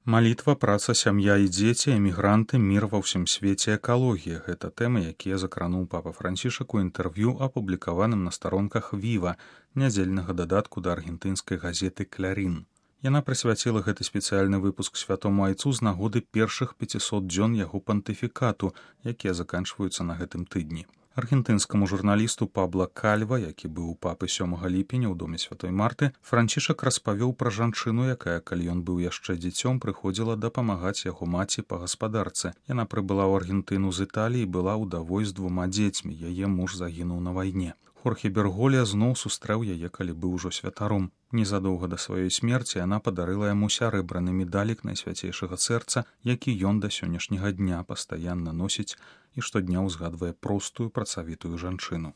Малітва, праца, сям'я і дзеці, эмігранты, мір ва ўсім свеце, экалогія – гэта тэмы, якія закрануў папа Францішак у інтэрв'ю, апублікаваным на старонках «Віва», нядзельнага дадатку да аргентынскай газеты «Клярін». Яна прысвяціла гэты спецыяльны выпуск святому айцу з нагоды першых 500 дзён яго пантыфікату, якія заканчваюцца на гэтым тыдні. Аргентынскаму журналісту Пабло Кальва, які быў у папы 7 ліпеня ў доме святой Марты, Францішак распавёў пра жанчыну, якая, калі ён быў яшчэ дзіцём, прыходзіла дапамагаць яго маці па гаспадарцы. Яна прыбыла ў Аргентыну з Італіі і была ўдавой з 2 дзецьмі. Яе муж загінуў на вайне. Хорхе Берголья зноў сустрэў яе, калі быў ужо святаром. Незадоўга да сваёй смерці яна падарыла яму сярэбраны медалік Найсвяцейшага сэрца, які ён да сённяшняга дня пастаянна носіць і штодня ўзгадвае простую працавітую жанчыну.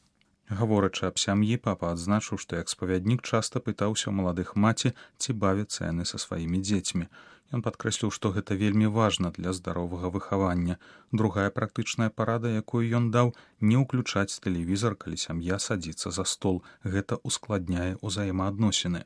Гаворачы аб сям'і, папа адзначыў, што як спавяднік часта пытаўся ў маладых маці, ці бавяцца яны са сваімі дзецьмі. Ён падкрэсліў, што гэта вельмі важна для здаровага выхавання. Другая практычная парада, якую ён даў – не ўключаць тэлевізар, калі сям'я садзіцца за стол. Гэта ускладняе ўзаемаадносіны.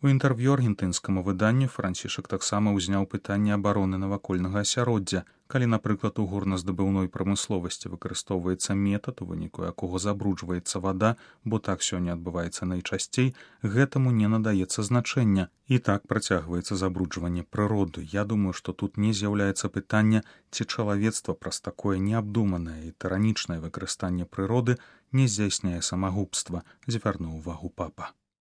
У інтэрв'ю аргентынскаму выданню Францішак таксама ўзняў пытанне абароны навакольнага асяроддзя. Калі, напрыклад, у горназдабыўной прамысловасці выкарыстоўваецца метад, у выніку якога забруджваецца вада, бо так сёння адбываецца найчасцей, гэтаму не надаецца значэння. І так працягваецца забруджванне прыроды. Я думаю, што тут не з'яўляецца пытання, ці чалавецтва праз такое неабдуманае і тыранічнае выкарыстанне прыроды не здзяйсняе самагубства, звярнуў увагу папа.